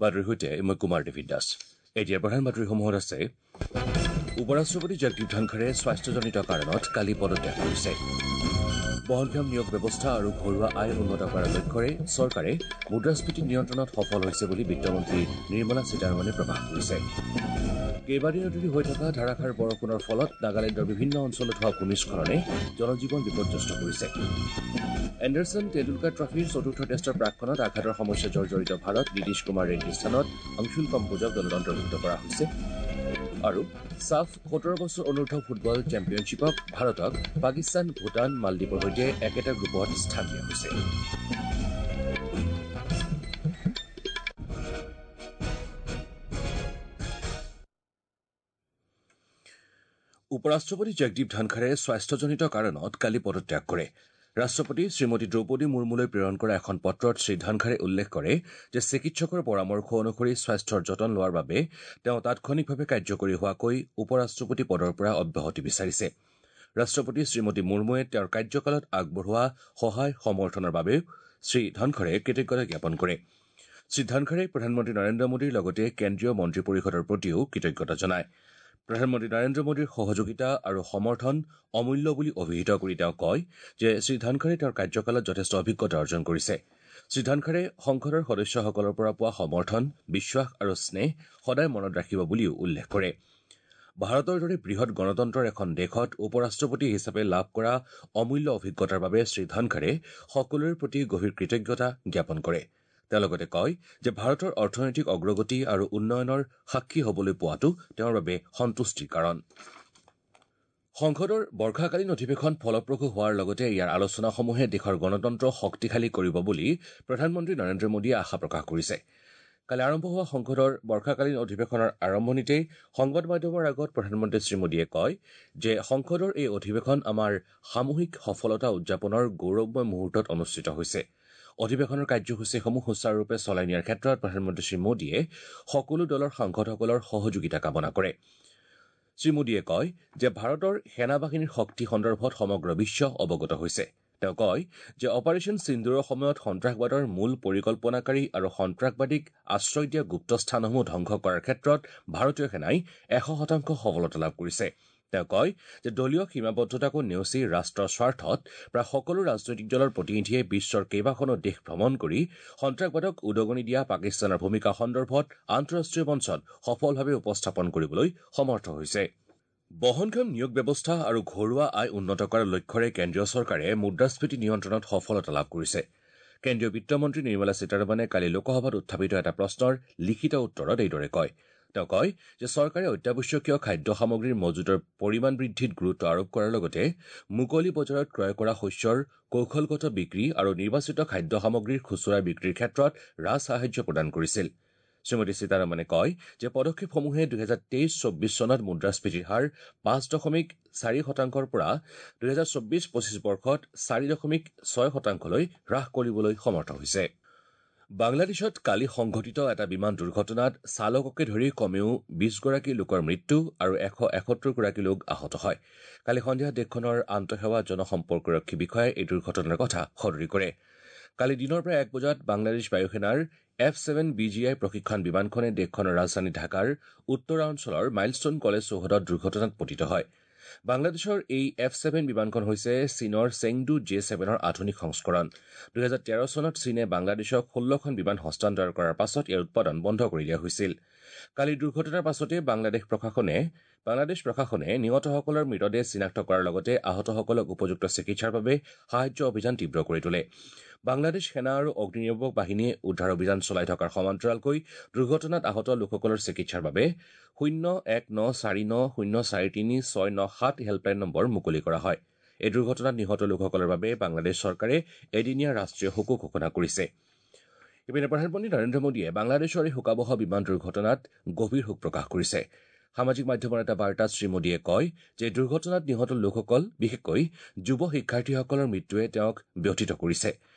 বাতৰিৰ সৈতে মই কুমাৰ ডেভিড দাস। এতিয়া প্ৰধান বাতৰিসমূহত আছে: উপ-ৰাষ্ট্ৰপতি জগদীপ ধনখৰে স্বাস্থ্যজনিত কাৰণত কালি পদত্যাগ কৰিছে। বহনক্ষম নিয়োগ ব্যৱস্থা আৰু ঘৰুৱা আয় উন্নত কৰাৰ লক্ষ্যৰে চৰকাৰে মুদ্ৰাস্ফীতি নিয়ন্ত্ৰণত সফল হৈছে বুলি বিত্তমন্ত্ৰী নিৰ্মলা সীতাৰমণে প্ৰকাশ কৰিছে। কেইবাদিনো ধৰি হৈ থকা ধাৰাসাৰ বৰষুণৰ ফলত নাগালেণ্ডৰ বিভিন্ন অঞ্চলত হোৱা ভূমিস্খলনে জনজীৱন বিপৰ্যস্ত কৰিছে। এণ্ডাৰছন টেণ্ডুলকাৰ ট্ৰফীৰ চতুৰ্থ টেষ্টৰ প্ৰাকক্ষণত আঘাতৰ সমস্যা জৰ্জৰিত ভাৰত নীতিশ কুমাৰ ৰেড্ডীৰ স্থানত অংশুল কম্বোজক দলত অন্তৰ্ভুক্ত কৰা হৈছে। আৰু ছাফ 17 বছৰ অনুৰ্ধ ফুটবল চেম্পিয়নশ্বিপক ভাৰতক পাকিস্তান, ভূটান, মালদ্বীপৰ সৈতে একেটা গ্ৰুপত স্থান দিয়া হৈছে। উপ-ৰাষ্ট্ৰপতি জগদীপ ধনখৰে স্বাস্থ্যজনিত কাৰণত কালি পদত্যাগ কৰে। ৰাষ্ট্ৰপতি শ্ৰীমতী দ্ৰৌপদী মুৰ্মুলৈ প্ৰেৰণ কৰা এখন পত্ৰত শ্ৰী ধনখৰে উল্লেখ কৰে যে চিকিৎসকৰ পৰামৰ্শ অনুসৰি স্বাস্থ্যৰ যতন লোৱাৰ বাবে তেওঁ তাৎক্ষণিকভাৱে কাৰ্যকৰী হোৱাকৈ উপ-ৰাষ্ট্ৰপতি পদৰ পৰা অব্যাহতি বিচাৰিছে। ৰাষ্ট্ৰপতি শ্ৰীমতী মুৰ্মুৱে তেওঁৰ কাৰ্যকালত আগবঢ়োৱা সহায় সমৰ্থনৰ বাবেও শ্ৰী ধনখৰে কৃতজ্ঞতা জ্ঞাপন কৰে। শ্ৰী ধনখৰে প্ৰধানমন্ত্ৰী নৰেন্দ্ৰ মোদীৰ লগতে কেন্দ্ৰীয় মন্ত্ৰী পৰিষদৰ প্ৰতিও কৃতজ্ঞতা জনায়। প্ৰধানমন্ত্ৰী নৰেন্দ্ৰ মোদীৰ সহযোগিতা আৰু সমৰ্থন অমূল্য বুলি অভিহিত কৰি তেওঁ কয় যে শ্ৰী ধনখৰে তেওঁৰ কাৰ্যকালত যথেষ্ট অভিজ্ঞতা অৰ্জন কৰিছে। শ্ৰী ধনখৰে সংসদৰ সদস্যসকলৰ পৰা পোৱা সমৰ্থন, বিশ্বাস আৰু স্নেহ সদায় মনত ৰাখিব বুলিও উল্লেখ কৰে। ভাৰতৰ দৰে বৃহৎ গণতন্ত্ৰৰ এখন দেশত উপ-ৰাষ্ট্ৰপতি হিচাপে লাভ কৰা অমূল্য অভিজ্ঞতাৰ বাবে শ্ৰী ধনখৰে সকলোৰে প্ৰতি গভীৰ কৃতজ্ঞতা জ্ঞাপন কৰে। তেওঁ লগতে কয় যে ভাৰতৰ অৰ্থনৈতিক অগ্ৰগতি আৰু উন্নয়নৰ সাক্ষী হ'বলৈ পোৱাটো তেওঁৰ বাবে সন্তুষ্টিৰ কাৰণ। সংসদৰ বৰ্ষাকালীন অধিৱেশন ফলপ্ৰসূ হোৱাৰ লগতে ইয়াৰ আলোচনাসমূহে দেশৰ গণতন্ত্ৰ শক্তিশালী কৰিব বুলি প্ৰধানমন্ত্ৰী নৰেন্দ্ৰ মোদীয়ে আশা প্ৰকাশ কৰিছে। কালি আৰম্ভ হোৱা সংসদৰ বৰ্ষাকালীন অধিৱেশনৰ আৰম্ভণিতেই সংবাদ মাধ্যমৰ আগত প্ৰধানমন্ত্ৰী শ্ৰী মোদীয়ে কয় যে সংসদৰ এই অধিৱেশন আমাৰ সামূহিক সফলতা উদযাপনৰ গৌৰৱময় মুহূৰ্তত অনুষ্ঠিত হৈছে। অধিৱেশনৰ কাৰ্যসূচীসমূহ সুচাৰুৰূপে চলাই নিয়াৰ ক্ষেত্ৰত প্ৰধানমন্ত্ৰী শ্ৰী মোদীয়ে সকলো দলৰ সাংসদসকলৰ সহযোগিতা কামনা কৰে। শ্ৰী মোদীয়ে কয় যে ভাৰতৰ সেনাবাহিনীৰ শক্তি সন্দৰ্ভত সমগ্ৰ বিশ্ব অৱগত হৈছে। তেওঁ কয় যে অপাৰেচন সিন্দুৰৰ সময়ত সন্ত্ৰাসবাদৰ মূল পৰিকল্পনাকাৰী আৰু সন্ত্ৰাসবাদীক আশ্ৰয় দিয়া গুপ্ত স্থানসমূহ ধ্বংস কৰাৰ ক্ষেত্ৰত ভাৰতীয় সেনাই 100% সফলতা লাভ কৰিছে। তেওঁ কয় যে দলীয় সীমাবদ্ধতাকো নেওচি ৰাষ্ট্ৰৰ স্বাৰ্থত প্ৰায় সকলো ৰাজনৈতিক দলৰ প্ৰতিনিধিয়ে বিশ্বৰ কেইবাখনো দেশ ভ্ৰমণ কৰি সন্ত্ৰাসবাদক উদগনি দিয়া পাকিস্তানৰ ভূমিকা সন্দৰ্ভত আন্তঃৰাষ্ট্ৰীয় মঞ্চত সফলভাৱে উপস্থাপন কৰিবলৈ সমৰ্থ হৈছে। বহনক্ষম নিয়োগ ব্যৱস্থা আৰু ঘৰুৱা আয় উন্নত কৰাৰ লক্ষ্যৰে কেন্দ্ৰীয় চৰকাৰে মুদ্ৰাস্ফীতি নিয়ন্ত্ৰণত সফলতা লাভ কৰিছে। কেন্দ্ৰীয় বিত্তমন্ত্ৰী নিৰ্মলা সীতাৰমণে কালি লোকসভাত উত্থাপিত এটা প্ৰশ্নৰ লিখিত উত্তৰত এইদৰে কয়। তেওঁ কয় যে চৰকাৰে অত্যাৱশ্যকীয় খাদ্য সামগ্ৰীৰ মজুতৰ পৰিমাণ বৃদ্ধিত গুৰুত্ব আৰোপ কৰাৰ লগতে মুকলি বজাৰত ক্ৰয় কৰা শস্যৰ কৌশলগত বিক্ৰী আৰু নিৰ্বাচিত খাদ্য সামগ্ৰীৰ খুচুৰা বিক্ৰীৰ ক্ষেত্ৰত ৰাজসাহায্য প্ৰদান কৰিছিল। শ্ৰীমতী সীতাৰমণে কয় যে পদক্ষেপসমূহে 2023-24 চনত মুদ্ৰাস্ফীতিৰ হাৰ 5.4% পৰা 2024-25 বৰ্ষত 4.6%লৈ হ্ৰাস কৰিবলৈ সমৰ্থ হৈছে। বাংলাদেশত কালি সংঘটিত এটা বিমান দুৰ্ঘটনাত চালককে ধৰি কমেও 20গৰাকী লোকৰ মৃত্যু আৰু 171গৰাকী লোক আহত হয়। কালি সন্ধিয়া দেশখনৰ আন্তঃসেৱা জনসম্পৰ্কৰক্ষী বিষয়াই এই দুৰ্ঘটনাৰ কথা সদৰি কৰে। কালি দিনৰ প্ৰায় 1 বজাত বাংলাদেশ বায়ুসেনাৰ F-7 BGI প্ৰশিক্ষণ বিমানখনে দেশখনৰ ৰাজধানী ঢাকাৰ উত্তৰাঞ্চলৰ মাইলষ্টন কলেজ চৌহদত দুৰ্ঘটনাত পতিত হয়। বাংলাদেশৰ এই F-7 বিমানখন হৈছে চীনৰ চেংডু J-7ৰ আধুনিক সংস্কৰণ। 2013 চনত চীনে বাংলাদেশক 16খন বিমান হস্তান্তৰ কৰাৰ পাছত ইয়াৰ উৎপাদন বন্ধ কৰি দিয়া হৈছিল। কালি দুৰ্ঘটনাৰ পাছতে বাংলাদেশ প্ৰশাসনে নিহতসকলৰ মৃতদেহ চিনাক্ত কৰাৰ লগতে আহতসকলক উপযুক্ত চিকিৎসাৰ বাবে সাহায্য অভিযান তীব্ৰ কৰি তোলে। বাংলাদেশ সেনা আৰু অগ্নিনিৰ্বাপক বাহিনীয়ে উদ্ধাৰ অভিযান চলাই থকাৰ সমান্তৰালকৈ দুৰ্ঘটনাত আহত লোকসকলৰ চিকিৎসাৰ বাবে 01949043697 হেল্পলাইন নম্বৰ মুকলি কৰা হয়। এই দুৰ্ঘটনাত নিহত লোকসকলৰ বাবে বাংলাদেশ চৰকাৰে এদিনীয়া ৰাষ্ট্ৰীয় শোকো ঘোষণা কৰিছে। ইপিনে প্ৰধানমন্ত্ৰী নৰেন্দ্ৰ মোদীয়ে বাংলাদেশৰ এই শোকাৱহ বিমান দুৰ্ঘটনাত গভীৰ শোক প্ৰকাশ কৰিছে। সামাজিক মাধ্যমৰ এটা বাৰ্তাত শ্ৰী মোদীয়ে কয় যে দুৰ্ঘটনাত নিহত লোকসকল, বিশেষকৈ যুৱ শিক্ষাৰ্থীসকলৰ মৃত্যুৱে তেওঁক ব্যথিত কৰিছে।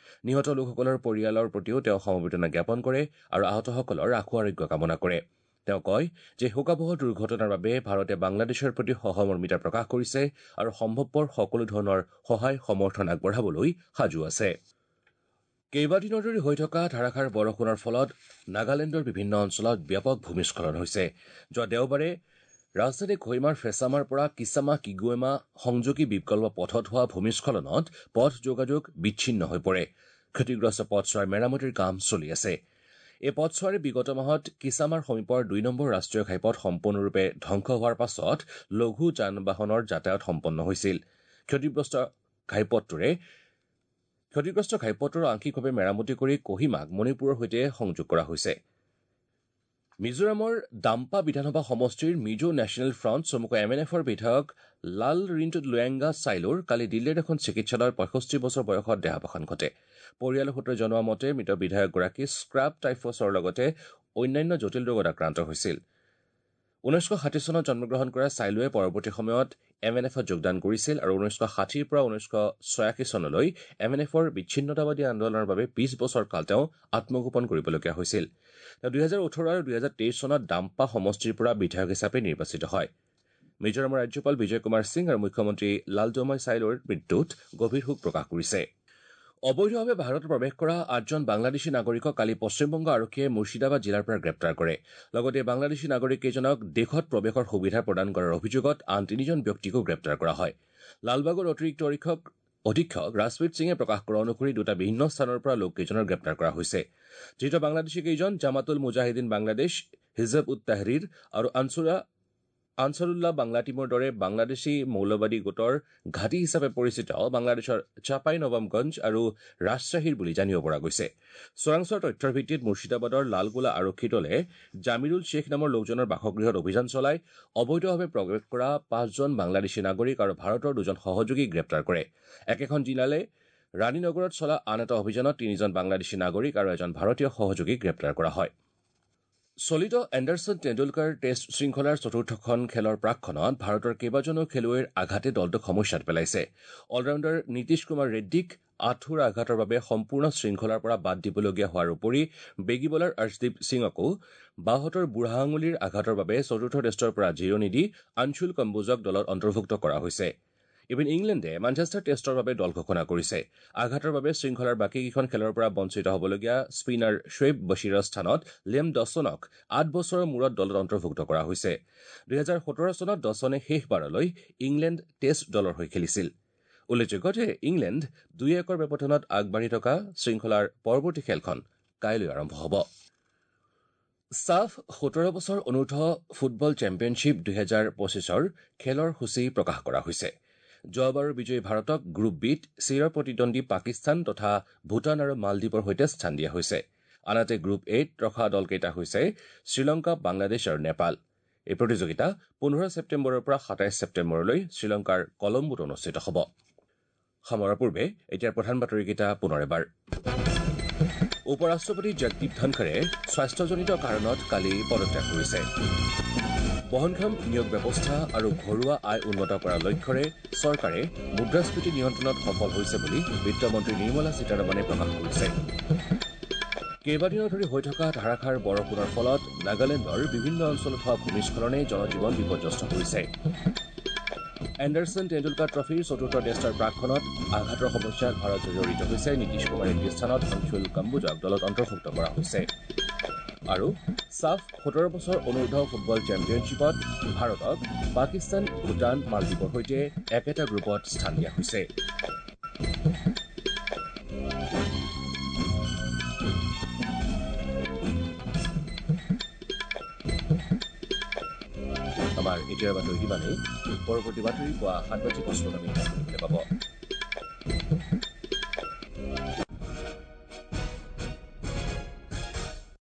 নিহত লোকসকলৰ পৰিয়ালৰ প্ৰতিও তেওঁ সমবেদনা জ্ঞাপন কৰে আৰু আহতসকলৰ আশু আৰোগ্য কামনা কৰে। তেওঁ কয় যে শোকাৱহ দুৰ্ঘটনাৰ বাবে ভাৰতে বাংলাদেশৰ প্ৰতি সহমৰ্মিতা প্ৰকাশ কৰিছে আৰু সম্ভৱপৰ সকলো ধৰণৰ সহায় সমৰ্থন আগবঢ়াবলৈ সাজু আছে। কেইবাদিনৰ ধৰি হৈ থকা ধাৰাসাৰ বৰষুণৰ ফলত নাগালেণ্ডৰ বিভিন্ন অঞ্চলত ব্যাপক ভূমিস্খলন হৈছে। যোৱা দেওবাৰে ৰাজধানী কহিমাৰ ফেচামাৰ পৰা কিচামা কিগুৱেমা সংযোগী বিকল্প পথত হোৱা ভূমিস্খলনত পথ যোগাযোগ বিচ্ছিন্ন হৈ পৰে। ক্ষতিগ্ৰস্ত পথছোৱাৰ মেৰামতিৰ কাম চলি আছে। এই পথছোৱাৰে বিগত মাহত কিচামাৰ সমীপৰ 2 নম্বৰ ৰাষ্ট্ৰীয় ঘাইপথ সম্পূৰ্ণৰূপে ধ্বংস হোৱাৰ পাছত লঘু যান বাহনৰ যাতায়াত সম্পন্ন হৈছিল। ক্ষতিগ্ৰস্ত ঘাইপথটোৰ আংশিকভাৱে মেৰামতি কৰি কহিমাক মণিপুৰৰ সৈতে সংযোগ কৰা হৈছে। মিজোৰামৰ দাম্পা বিধানসভা সমষ্টিৰ মিজো নেশ্যনেল ফ্ৰণ্ট চমুকৈ এম এন এফৰ বিধায়ক লাল ৰিণ্ট লুৱেংগা চাইলোৰ কালি দিল্লীৰ এখন চিকিৎসালয়ত 65 বছৰ বয়সত দেহাৱসান ঘটে। পৰিয়ালৰ সূত্ৰই জনোৱা মতে মৃত বিধায়কগৰাকী স্ক্ৰাব টাইফছৰ লগতে অন্যান্য জটিল ৰোগত আক্ৰান্ত হৈছিল। 1960 চনত জন্মগ্ৰহণ কৰা চাইলোৱে পৰৱৰ্তী সময়ত এম এন এফত যোগদান কৰিছিল আৰু 1960ৰ পৰা 1986 চনলৈ এম এন এফৰ বিচ্ছিন্নতাবাদী আন্দোলনৰ বাবে 20 বছৰ কাল তেওঁ আত্মগোপন কৰিবলগীয়া হৈছিল। তেওঁ 2018 আৰু 2023 চনত দাম্পা সমষ্টিৰ পৰা বিধায়ক হিচাপে নিৰ্বাচিত হয়। মিজোৰামৰ ৰাজ্যপাল বিজয় কুমাৰ সিং আৰু মুখ্যমন্ত্ৰী লালজমাই চাইলোৰ মৃত্যুত গভীৰ শোক প্ৰকাশ কৰিছে। অবৈধভাৱে ভাৰতত প্ৰৱেশ কৰা 8জন বাংলাদেশী নাগৰিকক কালি পশ্চিমবংগ আৰক্ষীয়ে মুৰ্ছিদাবাদ জিলাৰ পৰা গ্ৰেপ্তাৰ কৰে। লগতে বাংলাদেশী নাগৰিককেইজনক দেশত প্ৰৱেশৰ সুবিধা প্ৰদান কৰাৰ অভিযোগত আন 3জন ব্যক্তিকো গ্ৰেপ্তাৰ কৰা হয়। লালবাগৰ অতিৰিক্ত অধীক্ষক ৰাজপ্ৰীত সিঙে প্ৰকাশ কৰা অনুসৰি দুটা ভিন্ন স্থানৰ পৰা লোককেইজনৰ গ্ৰেপ্তাৰ কৰা হৈছে। ধৃত বাংলাদেশীকেইজন জামাতুল মুজাহিদিন বাংলাদেশ, হিজব উত তাহৰিৰ আৰু আনছাৰুল্লাহ বাংলা টীমৰ দৰে বাংলাদেশী মৌলবাদী গোটৰ ঘাটি হিচাপে পৰিচিত বাংলাদেশৰ চাপাই নৱাবগঞ্জ আৰু ৰাজশ্বাহীৰ বুলি জানিব পৰা গৈছে। চোৰাংচোৱাৰ তথ্যৰ ভিত্তিত মুৰ্ছিদাবাদৰ লালগোলা আৰক্ষী দলে জামিৰুল শ্বেখ নামৰ লোকজনৰ বাসগৃহত অভিযান চলাই অবৈধভাৱে প্ৰৱেশ কৰা 5জন বাংলাদেশী নাগৰিক আৰু ভাৰতৰ 2জন সহযোগীক গ্ৰেপ্তাৰ কৰে। একেখন জিলালে ৰাণীনগৰত চলা আন এটা অভিযানত 3জন বাংলাদেশী নাগৰিক আৰু এজন ভাৰতীয় সহযোগীক গ্ৰেপ্তাৰ কৰা হয়। চলিত এণ্ডাৰছন টেণ্ডুলকাৰ টেষ্ট শৃংখলাৰ চতুৰ্থখন খেলৰ প্ৰাকক্ষণত ভাৰতৰ কেইবাজনো খেলুৱৈৰ আঘাতে দলটোক সমস্যাত পেলাইছে। অলৰাউণ্ডাৰ নীতিশ কুমাৰ ৰেড্ডীক আঁঠুৰ আঘাতৰ বাবে সম্পূৰ্ণ শৃংখলাৰ পৰা বাদ দিবলগীয়া হোৱাৰ উপৰি বেগী বলাৰ অৰ্শদীপ সিঙকো বাওঁহাতৰ বুঢ়া আঙুলিৰ আঘাতৰ বাবে চতুৰ্থ টেষ্টৰ পৰা জিৰণি দি আনশুল কম্বোজক দলত অন্তৰ্ভুক্ত কৰা হৈছে। ইপিনে ইংলেণ্ডে মানচেষ্টাৰ টেষ্টৰ বাবে দল ঘোষণা কৰিছে। আঘাতৰ বাবে শৃংখলাৰ বাকীকেইখন খেলৰ পৰা বঞ্চিত হ'বলগীয়া স্পিনাৰ শ্বেইব বছিৰৰ স্থানত লিয়াম ডছনক 8 বছৰৰ মূৰত দলত অন্তৰ্ভুক্ত কৰা হৈছে। 2017 চনত ডছনে শেষবাৰলৈ ইংলেণ্ড টেষ্ট দলৰ হৈ খেলিছিল। উল্লেখযোগ্য যে ইংলেণ্ড 2-1 ব্যৱধানত আগবাঢ়ি থকা শৃংখলাৰ পৰৱৰ্তী খেলখন কাইলৈ আৰম্ভ হ'ব। ছাফ 17 বছৰ অনুৰ্ধ ফুটবল চেম্পিয়নশ্বিপ 2025ৰ খেলৰ সূচী প্ৰকাশ কৰা হৈছে। যোৱাবাৰৰ বিজয়ী ভাৰতক গ্ৰুপ বিত চিৰ প্ৰতিদ্বন্দ্বী পাকিস্তান তথা ভূটান আৰু মালদ্বীপৰ সৈতে স্থান দিয়া হৈছে। আনহাতে গ্ৰুপ এত ৰখা দলকেইটা হৈছে শ্ৰীলংকা, বাংলাদেশ আৰু নেপাল। এই প্ৰতিযোগিতা 15 ছেপ্টেম্বৰৰ পৰা 27 ছেপ্টেম্বৰলৈ শ্ৰীলংকাৰ কলম্বোত অনুষ্ঠিত হ'ব। সামৰাৰ পূৰ্বে এতিয়াৰ প্ৰধান বাতৰিকেইটা পুনৰ এবাৰ। উপ ৰাষ্ট্ৰপতি জগদীপ ধনখৰে স্বাস্থ্যজনিত কাৰণত কালি পদত্যাগ কৰিছে। বহনক্ষম নিয়োগ ব্যৱস্থা আৰু ঘৰুৱা আয় উন্নত কৰাৰ লক্ষ্যৰে চৰকাৰে মুদ্ৰাস্ফীতি নিয়ন্ত্ৰণত সফল হৈছে বুলি বিত্তমন্ত্ৰী নিৰ্মলা সীতাৰমণে প্ৰকাশ কৰিছে। কেইবাদিনো ধৰি হৈ থকা ধাৰাসাৰ বৰষুণৰ ফলত নাগালেণ্ডৰ বিভিন্ন অঞ্চলত হোৱা ভূমিস্খলনে জনজীৱন বিপৰ্যস্ত কৰিছে। এণ্ডাৰছন টেণ্ডুলকাৰ ট্ৰফীৰ চতুৰ্থ টেষ্টৰ প্ৰাকক্ষণত আঘাতৰ সমস্যাত ভাৰত জৰ্জৰিত হৈছে। নীতিশ কুমাৰ ৰেড্ডীৰ স্থানত অংশুল কম্বোজক দলত অন্তৰ্ভুক্ত কৰা হৈছে। আৰু ছাফ 17 বছৰ অনুৰ্ধ ফুটবল চেম্পিয়নশ্বিপত ভাৰতক পাকিস্তান, ভূটান, মালদ্বীপৰ সৈতে একেটা গ্ৰুপত স্থান দিয়া হৈছে। আমাৰ এতিয়াৰ বাতৰি ইমানেই। পৰৱৰ্তী বাতৰি পুৱা 7:55 শুনিবলৈ পাব।